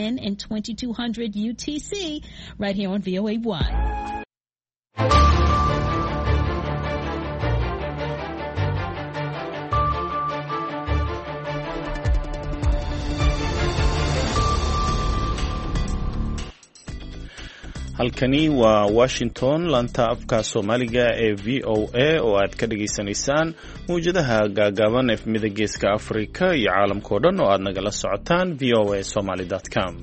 And 2200 UTC right here on VOA1. Halkani waa Washington, laanta afka Soomaaliga ee VOA oo aad ka dhagaysanaysaan mawjadaha gaagaaban, efmida Geeska Afrika iyo caalamkao dhan oo aad nagala socotaan voa somaly com.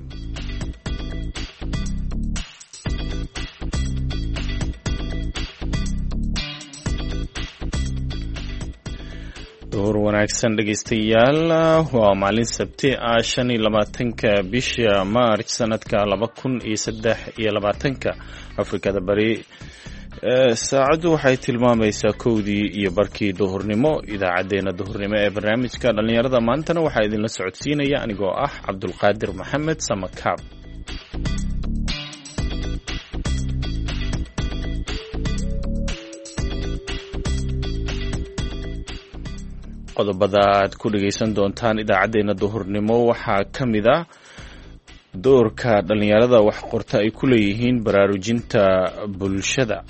Duhur wanaagsan, dhegaystayaal. Waa maalin Sabti ah, 25-ka bisha Maarj, sanadka 2023-ka. Afrikada Bari saacaddu waxay tilmaamaysaa 1:30 duhurnimo. Idaacaddeenna duhurnimo ee barnaamijka dhallinyarada maantana waxaa idinla socodsiinaya anigoo ah Cabdulqaadir Maxamed Samakaab. Qodobada aad ku dhegaysan doontaan idaacaddeenna duhurnimo waxaa ka mid ah doorka dhallinyarada wax qorta ay ku leeyihiin baraarujinta bulshada.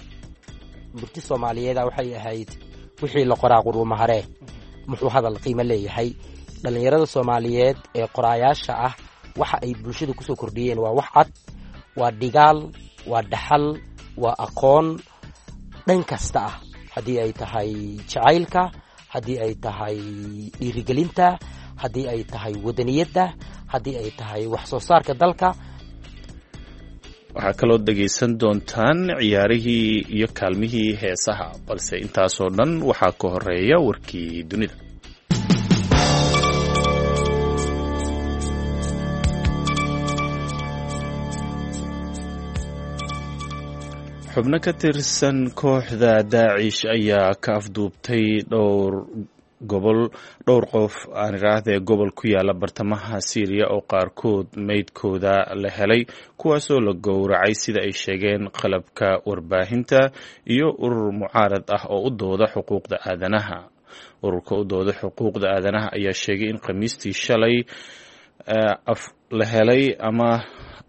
Murti Soomaaliyeeda waxay ahayd: wixii la qoraa quruumaharee, muxuu hadal qiimo leeyahay? Dhallinyarada Soomaaliyeed ee qoraayaasha ah waxa ay bulshada kusoo kordhiyeen waa wax cad, waa dhigaal, waa dhaxal, waa aqoon dhan kasta ah, haddii ay tahay jacaylka, haddii ay tahay dhiirigelinta, haddii ay tahay wadaniyadda, haddii ay tahay wax soo saarka dalka. Waxaa kaloo dhegaysan doontaan ciyaarihii iyo kaalmihii heesaha, balse intaasoo dhan waxaa ka horeeya warkii dunida. Xubno ka tirsan kooxda Daacish ayaa ka afduubtay dhowr gobol, dhowr qof aan iraahdee, gobol ku yaala bartamaha Siiriya oo qaarkood meydkooda la helay, kuwaasoo la gowracay, sida ay sheegeen qalabka warbaahinta iyo urur mucaarad ah oo u dooda xuquuqda aadanaha. Ururka u dooda xuquuqda aadanaha ayaa sheegay in Khamiistii shalay la helay ama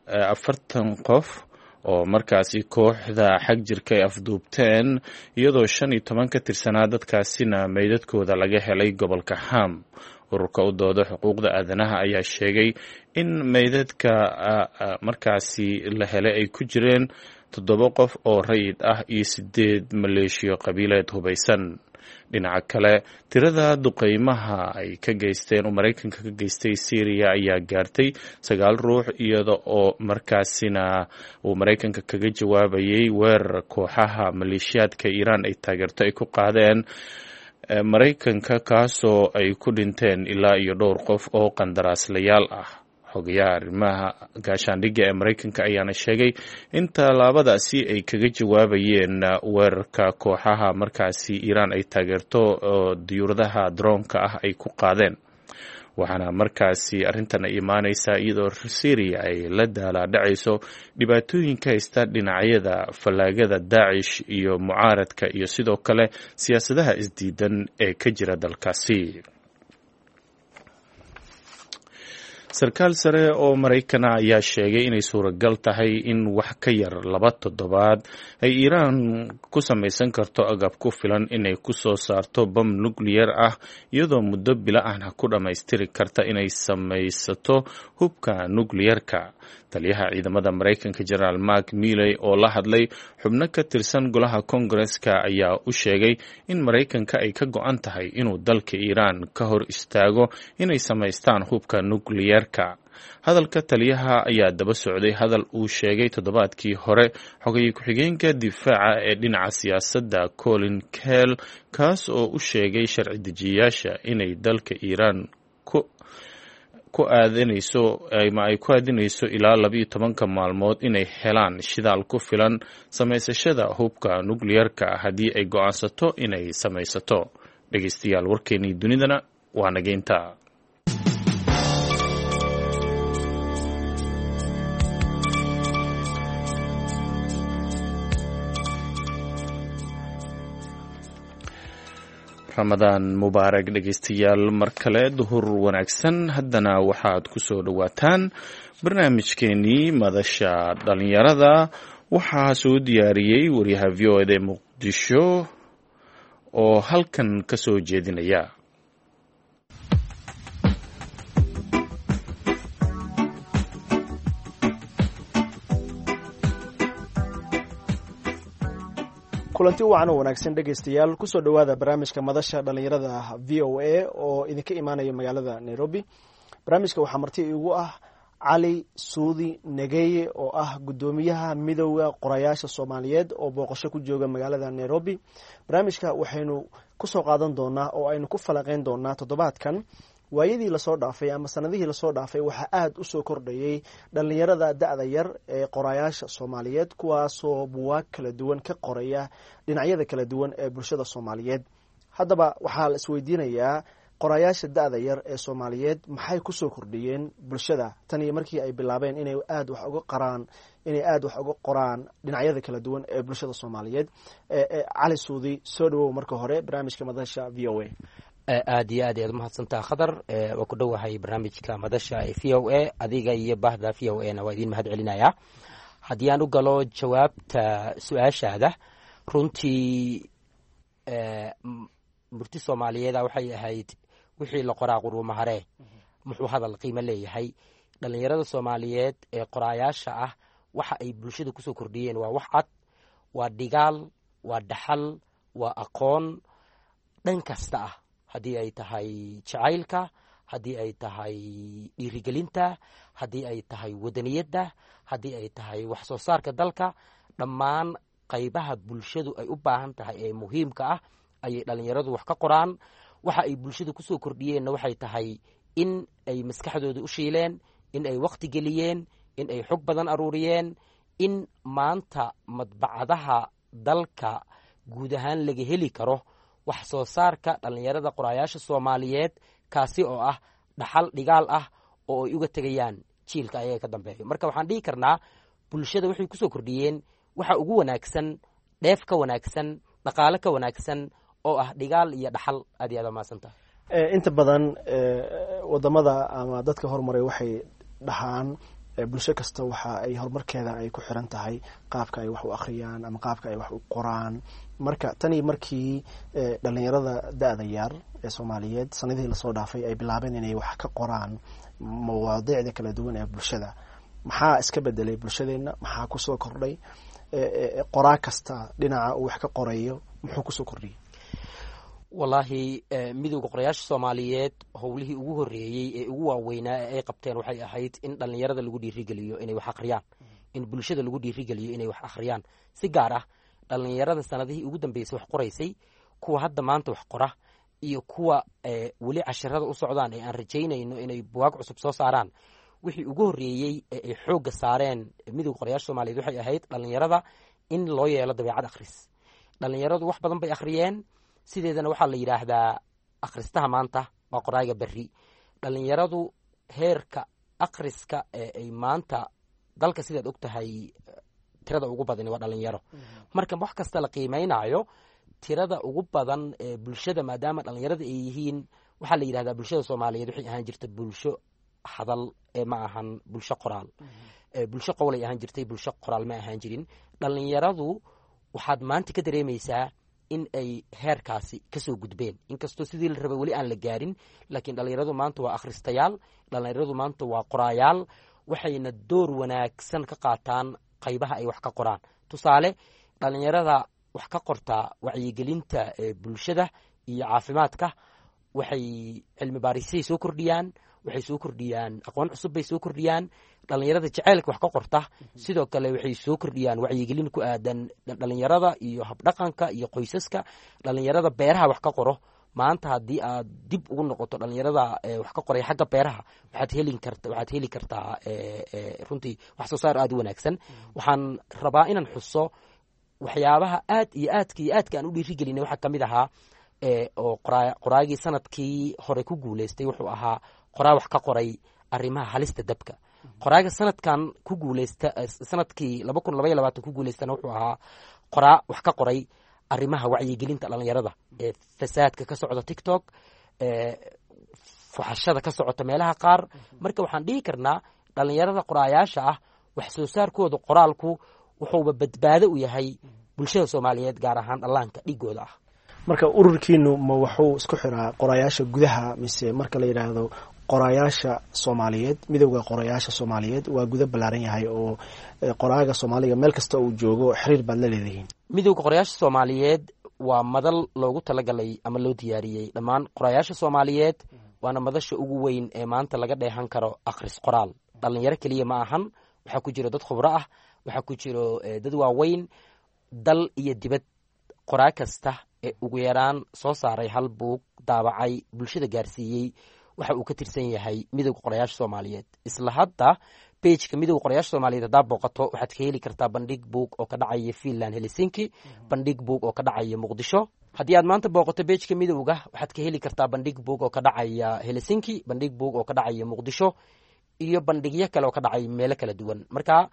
40 qof oo markaasi kooxda xag jirka ay afduubteen, iyadoo 15 ka tirsanaa dadkaasina meydadkooda laga helay gobolka Ham. Ururka u dooda xuquuqda aadanaha ayaa sheegay in meydadka markaasi la helay ay ku jireen toddoba qof oo rayid ah iyo sideed maleeshiyo qabiileed hubaysan. Dhinaca kale, tirada duqeymaha ay ka geysteen oo Maraykanka ka geystay Syriya ayaa gaartay sagaal ruux, iyada oo markaasina uu Maraykanka kaga jawaabayay weerar kooxaha maleeshiyaadka Iiraan ay taageerto ay ku qaadeen Maraykanka, kaasoo ay ku dhinteen ilaa iyo dhowr qof oo qandaraaslayaal ah. Xogayaha arrimaha gaashaandhigga ee Maraykanka ayaana sheegay in tallaabadaasi ay kaga jawaabayeen weerarka kooxaha markaasi Iiraan ay taageerto oo diyuuradaha droonka ah ay ku qaadeen. Waxaana markaasi arrintan ay imaaneysaa iyadoo Syriya ay la daalaadhacayso dhibaatooyinka haysta dhinacyada fallaagada Daacish iyo mucaaradka iyo sidoo kale siyaasadaha isdiidan ee ka jira dalkaasi. Sarkaal sare oo Maraykana ayaa sheegay inay suuragal tahay in wax ka yar 2 toddobaad ay Iiraan ku samaysan karto agab ku filan inay ku soo saarto bam nucleyer ah, iyadoo muddo bila ahna ku dhammaystiri karta inay samaysato hubka nucleyerka. Taliyaha ciidamada Maraykanka, Generaal Mark Milley, oo la hadlay xubno ka tirsan golaha Koongareska ayaa u sheegay in Maraykanka ay ka go-an tahay inuu dalka Iiraan ka hor istaago inay samaystaan hubka nucleyerka. Hadalka taliyaha ayaa daba socday hadal uu sheegay toddobaadkii hore xogaye ku-xigeenka difaaca ee dhinaca siyaasadda Colin Kell, kaas oo u sheegay sharci dejiyayaasha inay dalka Iiraan ku aadanayso ama ay ku aadinayso ilaa 12-ka maalmood inay helaan shidaal ku filan samaysashada hubka nucleyerka haddii ay go-aansato inay samaysato. Dhegeystayaal, warkeenii dunidana waa nageynta. Ramadaan mubaarak dhegeystayaal, mar kale duhur wanaagsan. Haddana waxaad ku soo dhowaataan barnaamijkeenii madasha dhalinyarada. Waxaa soo diyaariyey wariyaha VOA da ee Muqdisho oo halkan ka soo jeedinaya. Kulanti wacan oo wanaagsan dhegaystayaal, kusoo dhowaada barnaamijka madasha dhalinyarada VOA oo idinka imaanaya magaalada Nairobi. Barnaamijka waxaa marti igu ah Cali Suudi Negeye oo ah guddoomiyaha Midowda Qorayaasha Soomaaliyeed oo booqasho ku jooga magaalada Nairobi. Barnaamijka waxaynu kusoo qaadan doonaa oo aynu ku falaqeyn doonaa toddobaadkan waayadii lasoo dhaafay ama sanadihii lasoo dhaafay waxaa aada usoo kordhayay dhalinyarada da-da yar ee qorayaasha Soomaaliyeed, kuwaasoo buwaag kala duwan ka qoraya dhinacyada kala duwan ee bulshada Soomaaliyeed. Haddaba waxaa la isweydiinayaa, qorayaasha da-da yar ee Soomaaliyeed maxay kusoo kordhiyeen bulshada tan iyo markii ay bilaabeen inay aada wax uga qaraan, inay aada wax uga qoraan dhinacyada kala duwan ee bulshada Soomaaliyeed? Cali Suudi, soo dhawow marka hore barnaamijka madasha VOA. Aad iyo aad ayaad umahadsantaa, Khadar. Waa ku dhowahay barnaamijka madasha ee VOA. Adiga iyo bahda VOA na waa idiin mahad celinayaa. Haddii aan u galo jawaabta su-aashaada, runtii murti Soomaaliyeeda waxay ahayd: "Wixii la qoraa quruumaharee, muxuu hadal qiimo leeyahay?" Dhalinyarada Soomaaliyeed ee qoraayaasha ah waxa ay bulshada kusoo kordhiyeen waa wax cad, waa dhigaal, waa dhaxal, waa aqoon dhan kasta ah, haddii ay tahay jacaylka, haddii ay tahay dhiirigelinta, haddii ay tahay wadaniyadda, haddii ay tahay wax soo saarka dalka. Dhammaan qaybaha bulshadu ay u baahan tahay ee muhiimka ah ayay dhalinyaradu wax ka qoraan. Waxa ay bulshada kusoo kordhiyeenna waxay tahay in ay maskaxdooda u shiileen, in ay wakhti geliyeen, in ay xog badan aruuriyeen, in maanta madbacadaha dalka guud ahaan laga heli karo wax soo saarka dhalinyarada qoraayaasha Soomaaliyeed, kaasi oo ah dhaxal dhigaal ah oo ay uga tegayaan jiilka ayaga ka dambeeyo. Marka waxaan dhihi karnaa bulshada waxay kusoo kordhiyeen waxa ugu wanaagsan, dheef ka wanaagsan, dhaqaale ka wanaagsan, oo ah dhigaal iyo dhaxal. Aad iyo aad mahadsantaha. Inta badan wadamada ama dadka horumaray waxay dhahaan bulsho kasta waxa ay horumarkeeda ay ku xiran tahay qaabka ay wax u akhriyaan ama qaabka ay wax u qoraan. Marka tanii markii dhalinyarada da-da yar ee Soomaaliyeed sanadihii lasoo dhaafay ay bilaabeen inay wax ka qoraan mawaadiicda kala duwan ee bulshada, maxaa iska bedelay bulshadeenna? Maxaa kusoo kordhay? Qoraa kasta dhinaca uu wax ka qorayo muxuu kusoo kordhiyey? Wallaahi, Midowda Qorayaasha Soomaaliyeed howlihii ugu horreeyey ee ugu waaweynaa ee ay qabteen waxay ahayd in dhallinyarada lagu dhiirigeliyo inay wax akhriyaan, in bulshada lagu dhiirigeliyo inay wax akhriyaan, si gaar ah dhallinyarada sanadihii ugu dambeysay wax qoraysay, kuwa hadda maanta wax qora iyo kuwa weli casharada u socdaan ee aan rajaynayno inay buwaag cusub soo saaraan. Wixii ugu horreeyey ee ay xoogga saareen Midowda Qorayaasha Soomaaliyeed waxay ahayd dhallinyarada in loo yeelo dabeecad akhris. Dhallinyaradu wax badan bay akhriyeen. Sideedana waxaa la yidhaahdaa akhristaha maanta waa qoraaga berri. Dhallinyaradu heerka akhriska ee ay maanta dalka, sidaad og tahay, tirada ugu badani waa dhalinyaro. Marka wax kasta la qiimeynaayo, tirada ugu badan ee bulshada maadaama dhalinyarada ay yihiin, waxaa la yidhahdaa bulshada Soomaaliyeed waxay ahaan jirta bulsho hadal ee ma ahan bulsho qoraal. Bulsho qowlay ahaan jirtay, bulsho qoraal ma ahaan jirin. Dhalinyaradu waxaad maanta ka dareemaysaa in ay heerkaasi kasoo gudbeen, inkastoo sidii la rabay weli aan la gaarin. Laakiin dhalinyaradu maanta waa akhristayaal, dhalinyaradu maanta waa qoraayaal, waxayna door wanaagsan ka qaataan qaybaha ay wax ka qoraan. Tusaale, dhalinyarada wax ka qortaa wacyigelinta bulshada iyo caafimaadka waxay cilmi baarisay soo kordhiyaan, waxay soo kordhiyaan aqoon cusub bay soo kordhiyaan. Dhalinyarada jaceylka wax ka qorta sidoo kale waxay soo kordhiyaan wacyigelin ku aadan dhalinyarada iyo habdhaqanka iyo qoysaska. Dhalinyarada beeraha wax ka qoro, maanta haddii aad dib ugu noqoto dhalinyarada wax ka qoray xagga beeraha, waxaad heli kartaa runtii wax soo saar aada u wanaagsan. Waxaan rabaa inaan xuso waxyaabaha aad iyo aadka iyo aadka aan u dhiirigelinay waxaa kamid ahaa oo qoraagii sanadkii hore ku guuleystay wuxuu ahaa qoraa wax ka qoray arrimaha halista dabka. Qoraaga sanadkan ku guuleysta, sanadkii 2022 ku guuleystana, wuxuu ahaa qoraa wax ka qoray Arrimaha wacyigelinta dhalinyarada ee fasaadka ka socda TikTok, fuxashada ka socota meelaha qaar. Marka waxaan dhihi karnaa dhalinyarada qoraayaasha ah wax soo saarkooda qoraalku wuxuuba badbaado u yahay bulshada Soomaaliyeed, gaar ahaan dhallaanka dhigooda ah. Marka ururkiinu ma wuxuu isku xiraa qorayaasha gudaha, mise marka la yidhaahdo qorayaasha Soomaaliyeed, Midowda Qorayaasha Soomaaliyeed waa guda ballaaran yahay oo qoraaga Soomaaliga meel kasta uu joogo xiriir baad la leedihiin? Midowda Qorayaasha Soomaaliyeed waa madal loogu talagalay ama loo diyaariyey dhammaan qorayaasha Soomaaliyeed, waana madasha ugu weyn ee maanta laga dheehan karo akhris qoraal. Dhalinyaro keliya ma ahan, waxaa ku jiro dad khubro ah, waxaa ku jiro dad waaweyn, dal iyo dibad. Qoraa kasta ee ugu yaraan soo saaray hal buug, daabacay, bulshada gaarsiiyey, waxa uu ka tirsan yahay Midowda Qorayaasha Soomaaliyeed. Isla hadda pageka Midowda Qorayaasha Soomaaliyeed haddaa booqato, waxaad ka heli kartaa bandhig buug oo ka dhacaya Finland, Helsinki, bandhig buug oo ka dhacaya Muqdisho. Haddii aad maanta booqato pageka midowga, waxaad ka heli kartaa bandhig buug oo ka dhacaya Helsinki, bandhig buug oo ka dhacaya Muqdisho iyo bandhigyo kale oo ka dhacay meelo kala duwan. Marka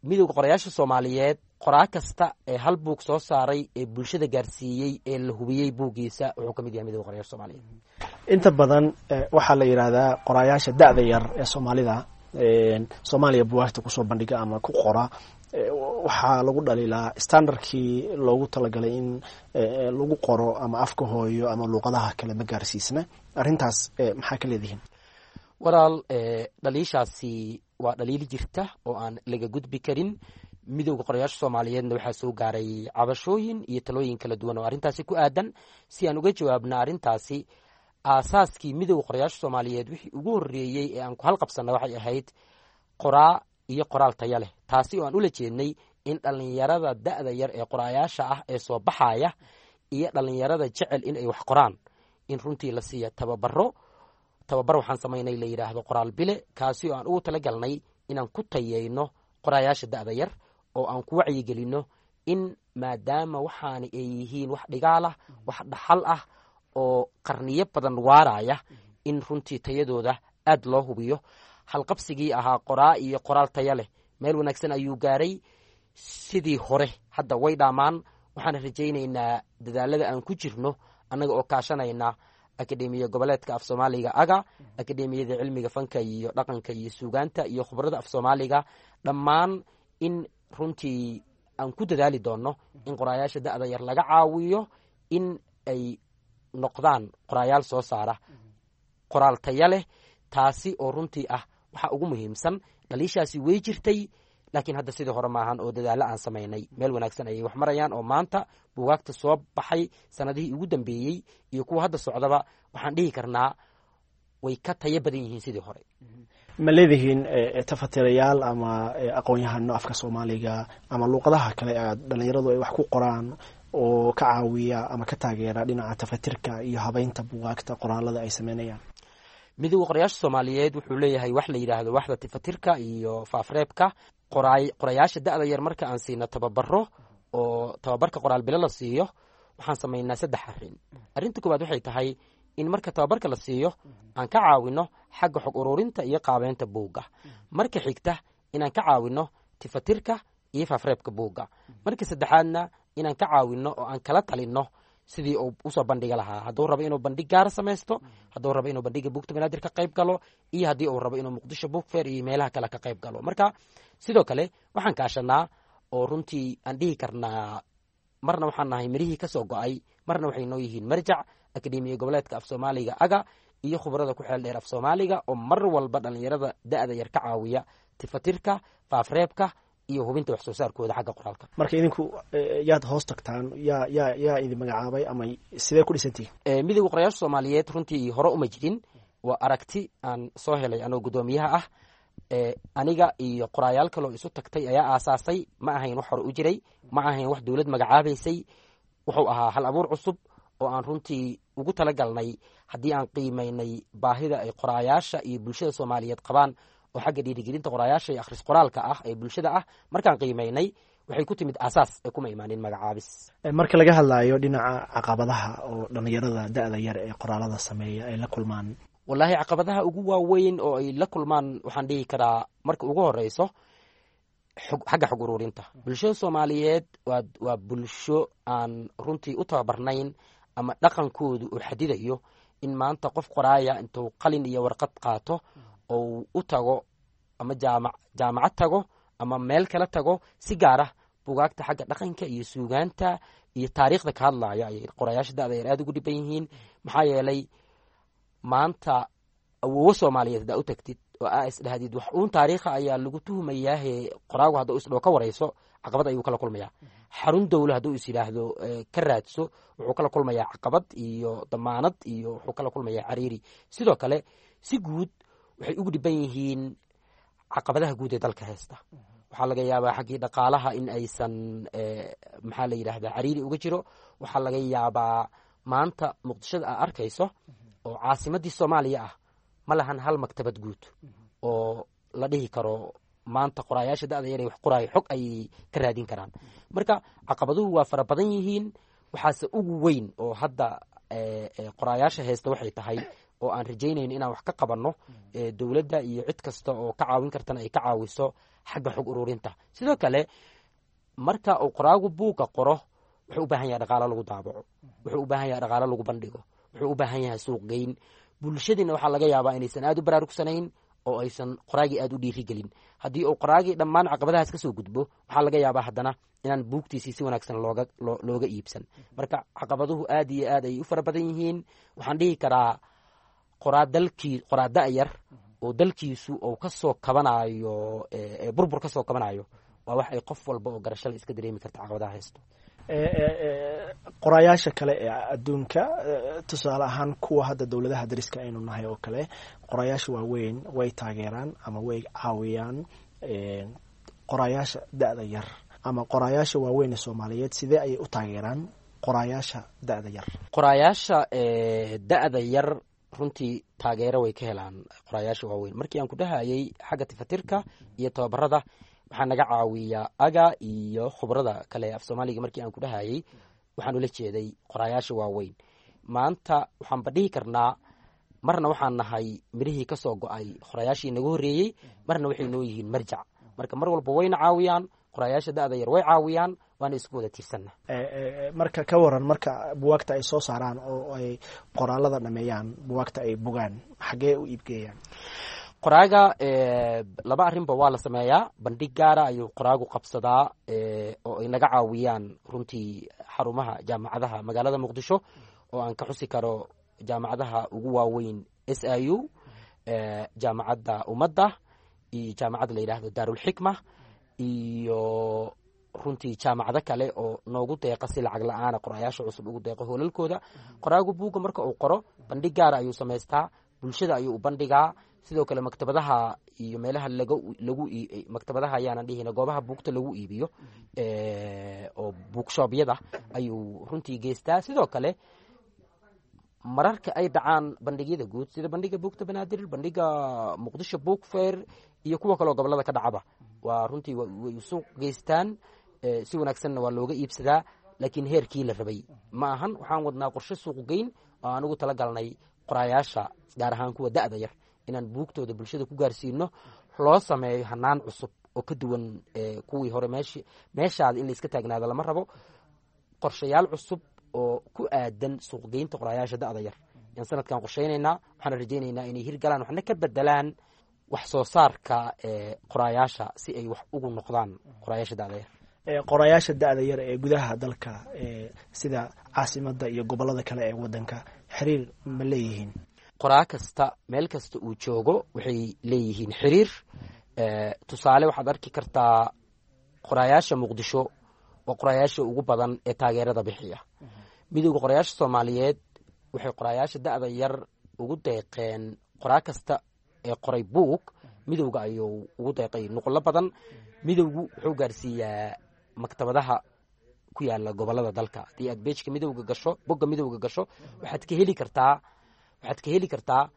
Midowda Qorayaasha Soomaaliyeed, qoraa kasta ee hal buug soo saaray ee bulshada gaarsiiyey ee la hubiyey buuggiisa, wuxuu ka mid yahay Midowda Qorayaasha Soomaaliyeed. Inta badan waxaa la yidhaahdaa qoraayaasha da'da yar ee Soomaalida, Soomaaliya buwaagta kusoo bandhiga ama ku qora, waxaa lagu dhaliilaa standardkii loogu talagalay in lagu qoro ama afka hooyo ama luuqadaha kale ma gaarsiisna. Arrintaas maxaa ka leedihiin? Walaal, dhaliishaasi waa dhaliil jirta oo aan laga gudbi karin. Midowda Qorayaasha Soomaaliyeedna waxaa soo gaaray cabashooyin iyo talooyin kala duwan oo arrintaasi ku aadan. Si aan uga jawaabna arrintaasi, aasaaskii Midowda Qorayaasha Soomaaliyeed wixii ugu horreeyey ee aan ku halqabsanna waxay ahayd qoraa iyo qoraal taya leh, taasi oo aan ula jeednay in dhallinyarada da'da yar ee qoraayaasha ah ee soo baxaya iyo dhallinyarada jecel in ay wax qoraan in runtii la siiya tababaro. Tababar waxaan samaynay la yidhaahdo Qoraal Bile, kaasi oo aan ugu talagalnay inaan ku tayeyno qoraayaasha da'da yar oo aan ku wacyigelinno in maadaama waxaani ay yihiin wax dhigaal ah, wax dhaxal ah oo qarniyo badan waaraya, in runtii tayadooda aad loo hubiyo. Halqabsigii ahaa qoraa iyo qoraal taya leh meel wanaagsan ayuu gaaray. Sidii hore hadda way dhaamaan. Waxaan rajaynaynaa dadaalada aan ku jirno, annaga oo kaashanayna Akademiya Goboleedka Af Soomaaliga aga, Akademiyada Cilmiga Fanka iyo Dhaqanka iyo Suugaanta iyo khubrada af Soomaaliga dhammaan, in runtii aan ku dadaali doonno in qoraayaasha da'da yar laga caawiyo in ay noqdaan qoraayaal soo saara qoraal taya leh, taasi oo runtii ah waxa ugu muhiimsan. Dhaliishaasi way jirtay, laakiin hadda sidii hore maahan oo dadaallo aan samaynay meel wanaagsan ayay wax marayaan, oo maanta buugaagta soo baxay sanadihii ugu dambeeyey iyo kuwa hadda socdaba waxaan dhihi karnaa way ka tayo badan yihiin sidii hore. Ma leedihiin tafatirayaal ama aqoon-yahano afka Soomaaliga ama luuqadaha kale aad dhalinyaradu ay wax ku qoraan oo ka caawiya ama ka taageera dhinaca tafatirka iyo habeynta buugaagta qoraalada ay sameynayaan? Midowda Qorayaasha Soomaaliyeed wuxuu leeyahay wax la yidhaahdo waxda tafatirka iyo faafreebka. Qorayaasha da'da yar marka aan siino tababaro oo tababarka qoraal bilo la siiyo, waxaan samaynaa saddex arrin. Arrinta koowaad waxay tahay in marka tababarka la siiyo aan ka caawino xagga xog ururinta iyo qaabeynta buugga. Marka xigta, inaan ka caawino tifatirka iyo faafreebka buugga. Marka saddexaadna, inaan ka caawino oo aan kala talinno sidii uu usoo bandhiga lahaa, hadduu rabo inuu bandhig gaara samaysto, hadduu rabo inuu bandhiga Buugta Banaadir ka qayb galo, iyo haddii uu rabo inuu Muqdisho Book Fair iyo meelaha kale ka qayb galo. Marka sidoo kale waxaan kaashanaa oo runtii aan dhihi karnaa marna waxaan nahay mirihii ka soo go'ay, marna waxay noo yihiin marjac, Akademiya Goboleedka Af Soomaaliga aga iyo khubarada ku xeel dheer af Soomaaliga oo mar walba dhallinyarada da'da yar ka caawiya tifatirka, faafreebka iyo hubinta wax soo saarkooda xagga qoraalka. Marka idinku yaad hoos tagtaan? Yaa idin magacaabay ama sidee ku dhisantihiin? Midowda Qorayaasha Soomaaliyeed runtii hore uma jirin. Waa aragti aan soo helay anoo guddoomiyaha ah. Aniga iyo qoraayaal kaloo isu tagtay ayaa aasaasay. Ma ahayn wax hore u jiray, ma ahayn wax dowlad magacaabaysay. Wuxuu ahaa hal abuur cusub oo aan runtii ugu talagalnay haddii aan qiimaynay baahida ay qoraayaasha iyo bulshada Soomaaliyeed qabaan oo xagga dhiirigelinta qoraayaasha iyo akhris qoraalka ah ee bulshada ah. Markaan qiimaynay, waxay ku timid aasaas ee kuma imaanin magacaabis. Marka laga hadlaayo dhinaca caqabadaha oo dhalinyarada da'da yar ee qoraalada sameeya ay la kulmaan? Wallaahi, caqabadaha ugu waaweyn oo ay la kulmaan waxaan dhihi karaa marka ugu horeyso Xagga xog ururinta bulshada Soomaaliyeed waa bulsho aan runtii u tababarnayn ama dhaqankoodu uu xadidayo in maanta qof qoraaya intuu qalin iyo warqad qaato ou u tago ama jaamacad tago ama meel kala tago, si gaar ah bugaagta xagga dhaqanka iyo suugaanta iyo taariikhda ka hadlaya ayay qorayaasha da'da yar aada ugu dhiban yihiin. Maxaa yeelay, maanta awoowo Soomaaliyeed haddaa u tagtid oo aa isdhahdid wax uun taariikha ayaa lagu tuhumayaahe, qoraagu hadduu isdhoo ka warayso, caqabad ayuu kala kulmayaa. Xarun dowlo hadduu is yidhaahdo ka raadso, wuxuu kala kulmayaa caqabad iyo damaanad iyo wuxuu kala kulmayaa cariiri. Sidoo kale, si guud waxay ugu dhiban yihiin caqabadaha guud ee dalka haysta. Waxaa laga yaabaa xaggii dhaqaalaha in aysan, maxaa la yidhahdaa, cariiri uga jiro. Waxaa laga yaabaa maanta Muqdishada aa arkayso oo caasimaddii Soomaaliya ah ma lahan hal maktabad guud oo la dhihi karo maanta qoraayaasha da'da yar ee wax qoraayo xog ayay ka raadin karaan. Marka caqabaduhu waa fara badan yihiin. Waxaase ugu weyn oo hadda qoraayaasha haysta waxay tahay oo aan rajaynayno inaan wax ka qabanno, dowladda iyo cid kasta oo ka caawin kartana ay ka caawiso xagga xog ururinta. Sidoo kale, marka uu qoraagu buugga qoro, wuxuu u baahan yahay dhaqaalo lagu daabaco, wuxuu u baahan yahay dhaqaalo lagu bandhigo, wuxuu u baahan yahay suuqgeyn. Bulshadiina waxaa laga yaabaa inaysan aada u baraarugsanayn oo aysan qoraagii aada u dhiirigelin. Haddii uu qoraagii dhammaan caqabadahaas kasoo gudbo, waxaa laga yaabaa haddana inaan buugtiisii si wanaagsan looga iibsan. Marka caqabaduhu aad iyo aad ay u fara badan yihiin. Waxaan dhihi karaa qoraa dalkii, qoraa da'yar oo dalkiisu uu kasoo kabanayo burbur kasoo kabanayo, waa wax ay qof walba oo garashada iska dareemi karta caqabadaha haysto. Qoraayaasha kale ee adduunka, tusaale ahaan kuwa hadda dowladaha dariska aynu nahay oo kale, qoraayaasha waaweyn way taageeraan ama way caawiyaan qoraayaasha da'da yar, ama qoraayaasha waaweyn ee Soomaaliyeed sidee ayay u taageeraan qoraayaasha da'da yar? Qoraayaasha da'da yar runtii taageero way ka helaan qoraayaasha waaweyn. Markii aan ku dhahayay xagga tifatirka iyo tababarada waxaa naga caawiya aga iyo khubrada kale af Soomaaliga, markii aan ku dhahayay waxaan ula jeeday qoraayaasha waaweyn. Maanta waxaanba dhihi karnaa marna waxaan nahay mirihii kasoo go-ay qoraayaashii naga horreeyey, marna waxay noo yihiin marjac. Marka mar walba wayna caawiyaan qoraayaasha da'da yar, way caawiyaan, waana isku wada tiirsanna. Marka ka waran marka buwaagta ay soo saaraan oo ay qoraalada dhameeyaan, buwaagta ay bogaan, xaggee u iibgeeyaan? Qoraaga laba arrinba waa la sameeyaa. Bandhig gaara ayuu qoraagu qabsadaa oo ay naga caawiyaan runtii xarumaha jaamacadaha magaalada Muqdisho, oo aan ka xusi karo jaamacadaha ugu waaweyn SIU, Jaamacadda Ummadda iyo jaamacadda la yidhaahdo Daarulxikma iyo runtii jaamacado kale oo noogu deeqa si lacag la-aana qoraayaasha cusub ugu deeqo hoolalkooda. Qoraagu buugga marka uu qoro, bandhig gaara ayuu samaystaa, bulshada ayuu u bandhigaa. Sidoo kale maktabadaha iyo meelaha lagu maktabadaha ayaanan dhihina, goobaha buugta lagu iibiyo oo buugshoobyada ayuu runtii geystaa. Sidoo kale, mararka ay dhacaan bandhigyada guud sida bandhiga buugta Banaadir, bandhiga Muqdisho Book Fair iyo kuwa kaleoo gobolada ka dhacaba, waa runtii way suuq geystaan, si wanaagsanna waa looga iibsadaa, laakiin heerkii la rabay ma ahan. Waxaan wadnaa qorshe suuqgeyn oo aan ugu talagalnay qoraayaasha, gaar ahaan kuwa da'da yar, inaan buugtooda bulshada ku gaarsiino, loo sameeyo hanaan cusub oo ka duwan kuwii hore. Meeshaada in layska taagnaado lama rabo. Qorshayaal cusub oo ku aadan suuqgeynta qoraayaasha da'da yar ayaan sanadkan qorshaynaynaa. Waxaana rajaynaynaa inay hirgalaan, waxna ka bedelaan wax soo saarka qoraayaasha si ay wax ugu noqdaan qoraayaasha da'da yar. Qorayaasha da'da yar ee gudaha dalka, sida caasimadda iyo gobollada kale ee waddanka, xiriir ma leeyihiin? Qoraa kasta meel kasta uu joogo waxay leeyihiin xiriir. Tusaale, waxaad arki kartaa qoraayaasha Muqdisho waa qoraayaasha ugu badan ee taageerada bixiya. Midowda Qorayaasha Soomaaliyeed waxay qoraayaasha da'da yar ugu deeqeen, qoraa kasta ee qoray buug midowga ayuu ugu deeqay nuqullo badan. Midowgu wuxuu gaarsiiyaa maktabadaha ku yaala gobolada dalka. Haddii aad beejka midowga gasho, bogga midowga gasho, waxaad ka heli kartaa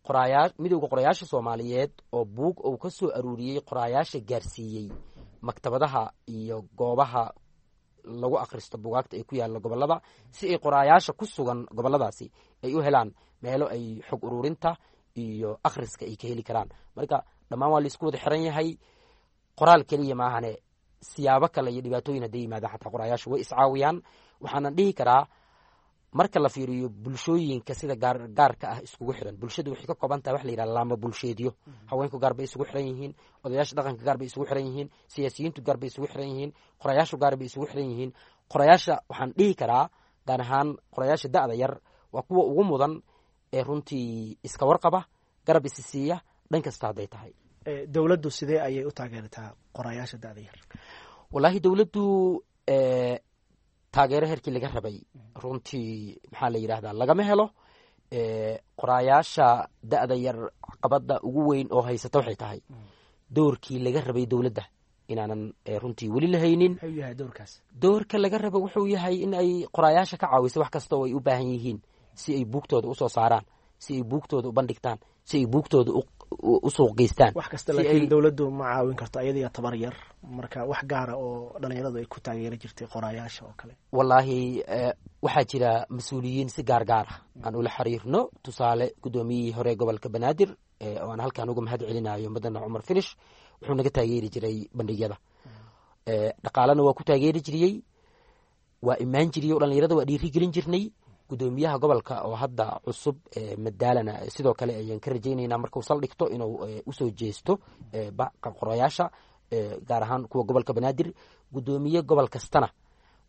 qoraayaa Midowda Qorayaasha Soomaaliyeed oo buug uu ka soo aruuriyey qoraayaasha gaarsiiyey maktabadaha iyo goobaha lagu akhristo bugaagta ay ku yaalla gobolada, si ay qoraayaasha ku sugan goboladaasi ay u helaan meelo ay xog ururinta iyo akhriska ay ka heli karaan. Marka dhammaan waa laisku wada xiran yahay. Qoraal keliya maahane, siyaabo kale iyo dhibaatooyin hadday yimaadaan xataa qoraayaashu way iscaawiyaan. Waxaanan dhihi karaa, marka la fiiriyo bulshooyinka sida gaarka ah iskugu xiran, bulshadu waxay ka kooban tahay wax la yidhaha laama bulsheedyo. Haweenku gaar bay isugu xiran yihiin, odayaasha dhaqanka gaar bay isugu xiran yihiin, siyaasiyiintu gaar bay isugu xiran yihiin, qorayaashu gaar bay isugu xiran yihiin. Qorayaasha waxaan dhihi karaa, gaar ahaan qorayaasha da'da yar, waa kuwa ugu mudan ee runtii iska warqaba, garab isi siiya dhan kasta hadday tahay. Dowladdu sidee ayay u taageertaa qorayaasha da'da yar? Wallaahi, dowladdu taageero heerkii laga rabay runtii, maxaa la yidhahdaa, lagama helo. Qoraayaasha da'da yar caqabadda ugu weyn oo haysata waxay tahay doorkii laga rabay dowladda inaanan runtii weli la haynin. Muxuu yahay doorkaas? Doorka laga raba wuxuu yahay in ay qoraayaasha ka caawiso wax kasta oo ay u baahan yihiin, si ay buugtooda usoo saaraan, si ay buugtooda u bandhigtaan, si ay buugtooda u suuq geystaan. Wax kasta, laakiin dowladdu ma caawin karto ayadiga tabar yar. Marka wax gaara oo dhalinyaradu ay ku taageeri jirtay qoraayaasha oo kale? Wallaahi, waxaa jira mas-uuliyiin si gaar gaar ah aan ula xiriirno. Tusaale, guddoomiyihii hore gobolka Banaadir, oo aan halkaan uga mahad celinayo, Madane Cumar Finish, wuxuu naga taageeri jiray bandhigyada, dhaqaalena waa ku taageeri jiriyey, waa imaan jiriyey o dhalinyarada waa dhiiri gelin jirnay. Guddoomiyaha gobolka oo hadda cusub, Madaalana, sidoo kale ayaan ka rajaynaynaa markuu saldhigto inuu usoo jeesto qorayaasha, gaar ahaan kuwa gobolka Banaadir. Guddoomiye gobol kastana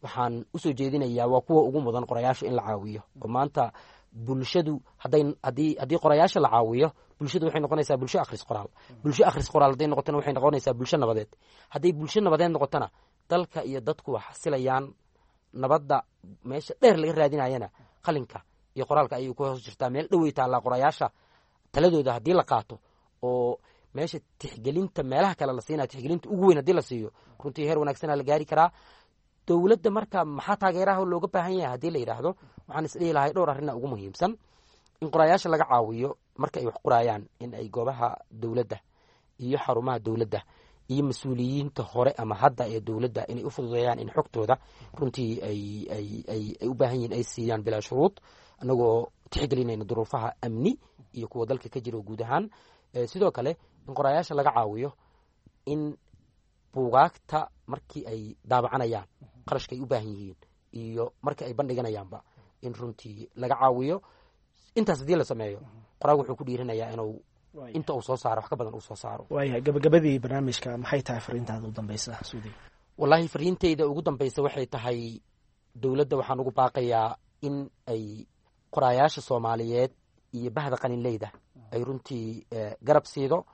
waxaan usoo jeedinayaa, waa kuwa ugu mudan qorayaasha in la caawiyo, oo maanta bulshadu hadday haddii haddii qorayaasha la caawiyo, bulshadu waxay noqonaysaa bulsho akhris qoraal. Bulsho akhris qoraal hadday noqotona, waxay noqonaysaa bulsho nabadeed. Hadday bulsho nabadeed noqotona, dalka iyo dadku waa xasilayaan. Nabadda meesha dheer laga raadinayana qalinka iyo qoraalka ayay ku hoos jirtaa, meel dhowey taallaa. Qorayaasha taladooda haddii la qaato oo meesha tixgelinta meelaha kale la siinaya tixgelinta ugu weyn haddii la siiyo, runtii heer wanaagsana la gaari karaa. Dowladda marka maxaa taageeraha looga baahan yahay haddii la yidhaahdo, waxaan isdhihi lahay dhowr arrina ugu muhiimsan: in qorayaasha laga caawiyo marka ay wax qoraayaan in ay goobaha dowladda iyo xarumaha dowladda iyo mas-uuliyiinta hore ama hadda ee dowladda inay u fududeeyaan in xogtooda runtii ay ay ay ay u baahan yihin ay siiyaan bilaa shuruud, anagoo tixgelinayna duruufaha amni iyo kuwa dalka ka jira guud ahaan. Sidoo kale, in qorayaasha laga caawiyo in buugaagta markii ay daabacanayaan qarashka ay u baahan yihiin iyo marka ay bandhiganayaanba in runtii laga caawiyo. Intaas haddii la sameeyo, qoraagu wuxuu ku dhiiranayaa inuu inta uu soo saaro wax ka badan uu soo saaro. Waayahay, gabagabadii barnaamijka, maxay tahay fariintaada u dambeysa, Suudi? Wallaahi, fariintayda ugu dambeysa waxay tahay, dowladda waxaan ugu baaqayaa in ay qoraayaasha Soomaaliyeed iyo bahda qalinleyda ay runtii garab siido.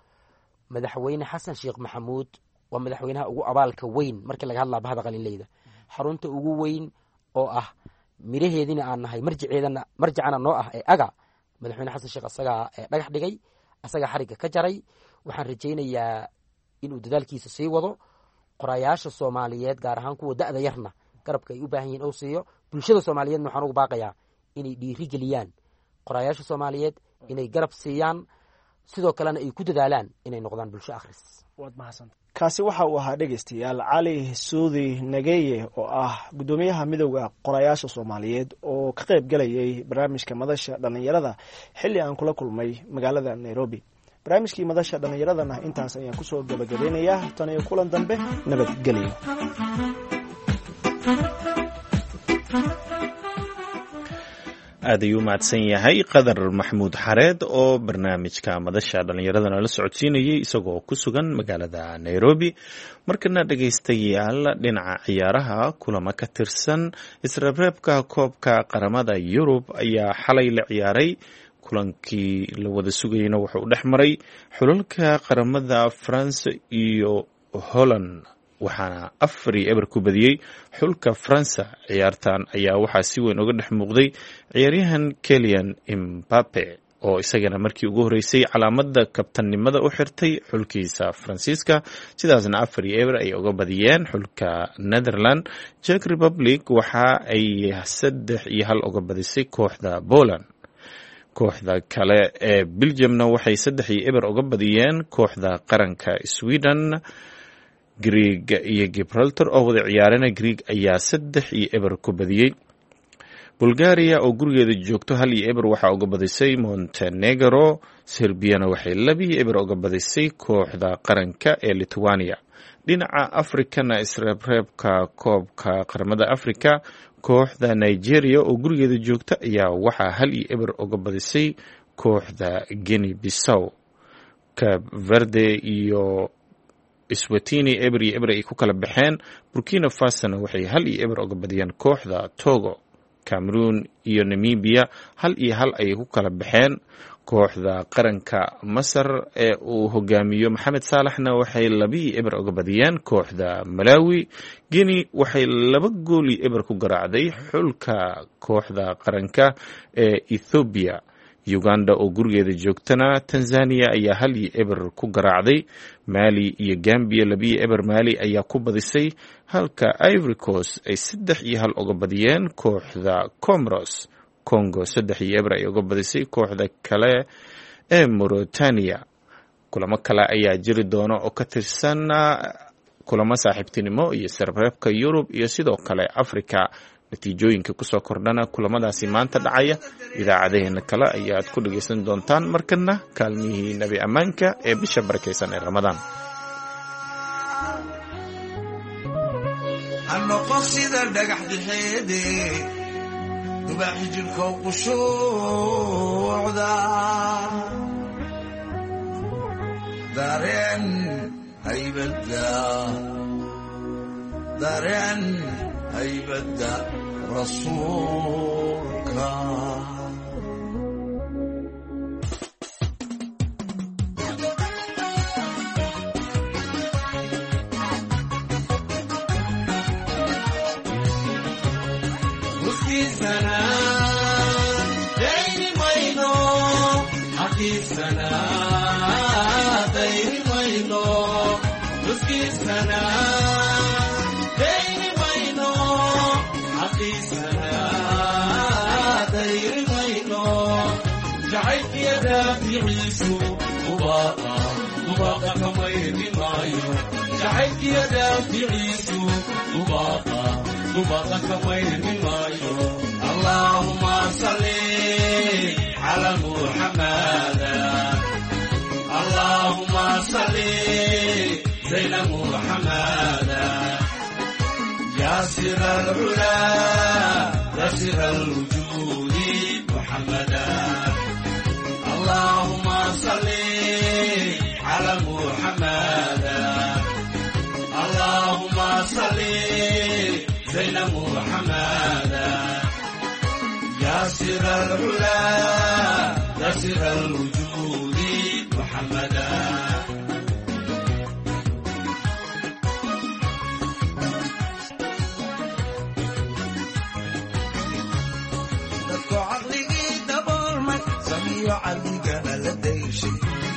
Madaxweyne Xasan Sheekh Maxamuud waa madaxweynaha ugu abaalka weyn markii laga hadlaa bahda qalinleyda. Xarunta ugu weyn oo ah miraheediina aan nahay, marjiceedana marjicana noo ah ee aga, madaxweyne Xasan Sheekh asagaa dhagax dhigay, asagaa xarigga ka jaray. Waxaan rajaynayaa inuu dadaalkiisa sii wado, qorayaasha Soomaaliyeed, gaar ahaan kuwa da'da yarna, garabka ay u baahan yihin uu siiyo. Bulshada Soomaaliyeedna waxaan ugu baaqayaa inay dhiiri geliyaan qorayaasha Soomaaliyeed, inay garab siiyaan, sidoo kalena ay ku dadaalaan inay noqdaan bulsho akhris. Waad mahadsanta. Kaasi waxa uu ahaa, dhegeystayaal, Cali Suudi Nageye oo ah guddoomiyaha Midowda Qorayaasha Soomaaliyeed oo ka qayb galayay barnaamijka Madasha Dhallinyarada xilli aan kula kulmay magaalada Nairobi. Barnaamijkii Madasha Dhallinyaradana intaas ayaan kusoo gabagabeynayaa. Tan iyo kulan dambe, nabadgelyo. Aad ayuu mahadsan yahay Qadar Maxamuud Xareed oo barnaamijka Madasha Dhallinyaradana la socodsiinayay isagoo ku sugan magaalada Nairobi. Markana dhegaystayaal, dhinaca ciyaaraha, kulamo ka tirsan isreebreebka koobka qaramada Yurub ayaa xalay la ciyaaray. Kulankii la wada sugayna wuxuu dhex maray xulalka qaramada France iyo Holland, waxaana 4-0 ku badiyey xulka Faransa. Ciyaartan ayaa waxaa si weyn uga dhex muuqday ciyaaryahan Kelian Imbape, oo isagana markii ugu horreysay calaamada kabtannimada u xirtay xulkiisa Faransiiska. Sidaasna 4-0 ay uga badiyeen xulka Netherland. Czech Republic waxa ay 3-1 uga badisay kooxda Poland. Kooxda kale ee Belgiumna waxay 3-0 uga badiyeen kooxda qaranka Sweden. Greeg iyo Gibraltar oo wada ciyaarana, Greeg ayaa 3-0 ku badiyey. Bulgaria oo gurigeeda joogto 1-0 waxaa uga badisay Montenegro. Serbiyana waxay 2-0 uga badisay kooxda qaranka ee Lithuania. Dhinaca Afrikana, isreebreebka koobka qaramada Afrika, kooxda Nigeria oo gurigeeda joogta ayaa waxaa 1-0 uga badisay kooxda Guinea Bissau. Cape Verde iyo Swatini 0-0 ay ku kala baxeen. Burkina Fasona waxay 1-0 uga badiyeen kooxda Togo. Cameroon iyo Namibia 1-1 ayay ku kala baxeen. Kooxda qaranka Masar ee uu hogaamiyo Maxamed Saalaxna waxay 2-0 uga badiyeen kooxda Malawi. Guinea waxay 2-0 ku garaacday xulka kooxda qaranka ee Ethoobiya. Uganda oo gurigeeda joogtana Tanzania ayaa 1-0 ku garaacday. Mali iyo Gambia 2-0 Mali ayaa ku badisay, halka Ivory Coast ay 3-1 uga badiyeen kooxda Comoros. Congo 3-0 ay uga badisay kooxda kale ee Mauritania. Kulamo kale ayaa jiri doona oo ka tirsan kulamo saaxiibtinimo iyo sarreebka Yurub iyo sidoo kale Afrika. Natiijooyinka kusoo kordhana kulamadaasi maanta dhacaya idaacadaheena kale ayaad ku dhagaysan doontaan. Markana kaalmihii Nebi Ammaanka ee bisha barakaysan ee Ramadaan. Hanoqon sida dhagax dixeede dubaaxi jidhkow qushuucda dareen haybadda, dareen haybadda rasuulka. Allahuma salli ala Muhammad, Allahuma salli zayna Muhammad, ya sir al-ula, ya sir al-wujudi Muhammad. Allahuma salli ala Muhammad, Allahuma salli زين محمد، يا سر العلا، يا سر الوجود محمدا. Dadku caqligii daboolmay samiyo caligana la dayshay,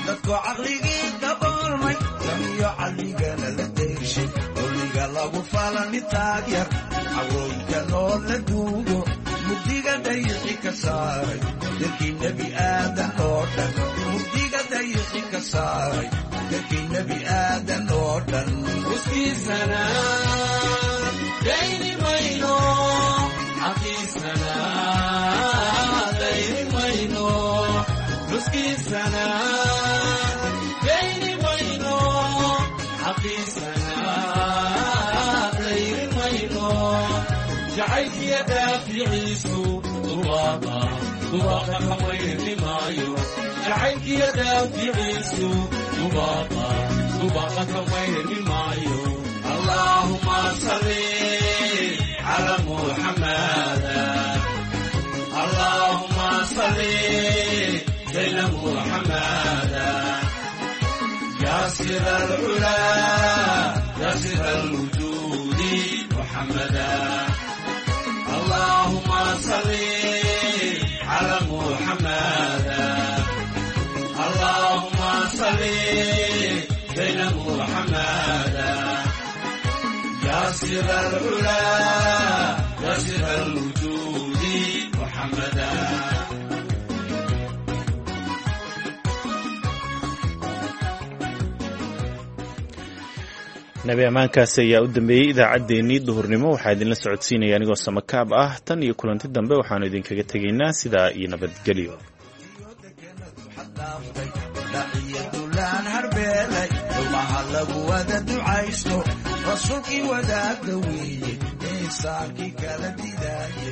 dadku caqligii daboolmay samiyo caligana la dayshay, dulliga lagu falani taagyar, cawrooyinka loo la duugo, mugdiga dayixi ka saaray dalkii Nebi Aadan oo dhan, mugdiga dayixi ka saaray dalkii Nebi Aadan oo dhan. Uskiisana dayni mayno, xaqiisana dayni mayno, nuskiisana dayni mayno, xaqiisana dayni mayno, jacaylkiya daaficiisu dubaaqa dubaaqa kamayni maayo, jacaylkiya daaficiisu dubaaqa dubaaqa kamayni maayo. Allahuma salli ala Muhammad, Allahuma salli zayna Muhammad, ya sir al-ula, ya sir al-wujudi Muhammad. Allahuma salli ala Muhammad, Allahuma salli zayna Muhammad, ya sir al-ula, ya sir al-wujudi Muhammad. Nabi ammaankaasi ayaa u dambeeyey idaacaddeenii duhurnimo. Waxaa idinla socodsiinaya anigoo samakaab ah. Tan iyo kulanti dambe, waxaanu idinkaga tegaynaa sidaa iyo nabadgelyo. Dhaciyadulaan harbeelay dhumaha lagu wada ducaysto, rasuulkii wadaagda weeye, insaankii kala didaaye.